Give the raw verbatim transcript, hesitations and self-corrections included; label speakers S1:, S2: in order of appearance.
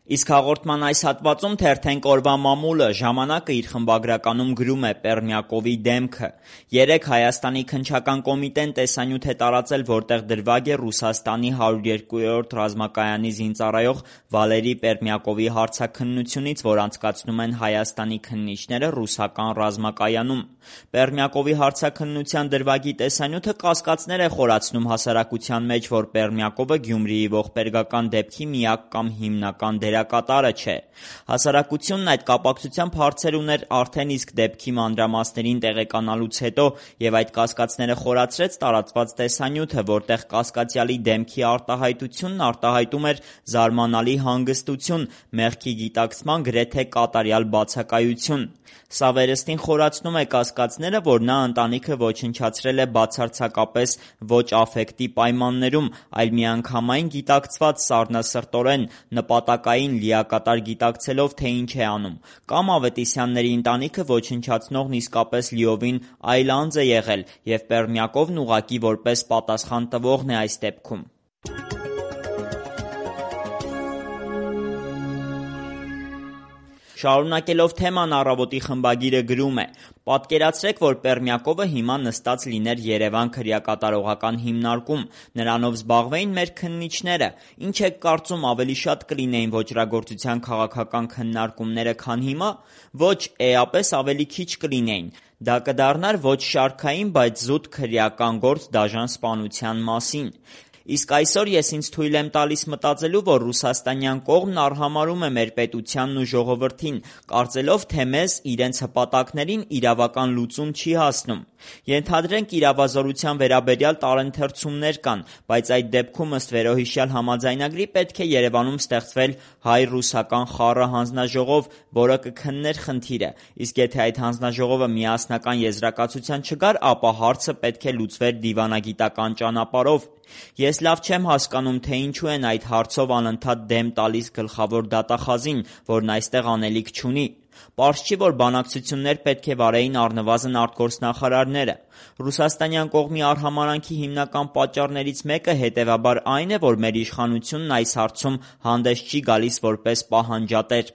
S1: Իսկ հաղորդման այս հատվածում թերթենք օրվա մամուլը, ժամանակը իր խմբագրականում գրում է Պերմյակովի դեմքը։ Երեկ Հայաստանի քննչական կոմիտեն տեսանյութ է տարածել, որտեղ դրվագ է Ռուսաստանի հարյուր երկրորդ ռազմակայանի զինծառայող Վալերի Պերմյակովի հարցաքննությունից, որ անցկացնում են Հայաստանի քննիչները ռուսական ռազմակայանում։ Պերմյակովի հարցաքննության դրվագի տեսանյութը կասկածներ է խորացնում հասարակության մեջ, որ Պերմյակովը Գյումրիի ողբերգական դեպքի միակ կամ հիմնական դերակատարը չէ։ Հասարակությունն այդ կապակցությամբ հարցեր ուներ արդեն իսկ դեպքի մանրամասներին տեղեկանալուց հետո և այդ կասկածները խորացրեց տարածված տեսանյութը, որտեղ կասկածյալի դեմքի արտահայտությունն արտահայտում էր զարմանալի հանգստություն, մեղքի գիտակցման գրեթե կատարյալ բացակայություն։ Սա վերստին խորացնում է կասկածները, որ նա ընտանիքը ոչնչացրել է բացարձակապես ոչ աֆեկտի պայմաններում, այլ միանգամայն գիտակցված սառնասրտորեն, նպատակային, լիակատար գիտակցելով, թե ինչ է անում, կամ Ավետիսյանների ընտանիքը ոչնչացնողն իսկապես լիովին այլ անձ է եղել, և Պերմյակովն ուղղակի որպես պատասխան տվողն է այս դեպքում։ Շարունակելով թեման, Առավոտի խմբագիրը գրում է. «Պատկերացրեք, որ Պերմյակովը հիմա նստած լիներ Երևան քրեակատարողական հիմնարկում, նրանով զբաղվեին մեր քննիչները, ինչ եք կարծում, ավելի շատ կլինեին ոճրագործության քաղաքական քննարկումները, քան հիմա։ Ոչ, էապես ավելի քիչ կլինեին։ Դա կդառնար ոչ շարքային, բայց զուտ քրեական գործ դաժան սպանության մասին։ Իսկ այսօր ես ինձ թույլ եմ տալիս մտածելու, որ ռուսաստանյան կողմն արհամարհում է մեր պետությանն ու ժողովրդին, կարծելով, թե մեզ իրենց հպատակներին իրավական լուծում չի հասնում։ Ենթադրենք իրավազորության վերաբերյալ տարընթերցումներ կան, բայց այդ դեպքում ըստ վերոհիշյալ համաձայնագրի պետք է Երևանում ստեղծվեր հայ-ռուսական խառը հանձնաժողով, որը կքններ խնդիրը, իսկ եթե այդ հանձնաժողովը միասնական եզրակացության չգար, ապա հարցը պետք է լուծվեր դիվանագիտական ճանապարհով։ Ես լավ չեմ հասկանում, թե ինչու են այդ հարցով անընդհատ դեմ տալիս գլխավոր դատախազին, որն այստեղ անելիք չունի։ Պարզ չի, որ բանակցություններ պետք է վարեին առնվազն արտգործնախարարները։ Ռուսաստանյան կողմի արհամարհանքի հիմնական պատճառներից մեկը հետևաբար այն է, որ մեր իշխանությունն այս հարցում հանդես չի գալիս որպես պահանջատեր։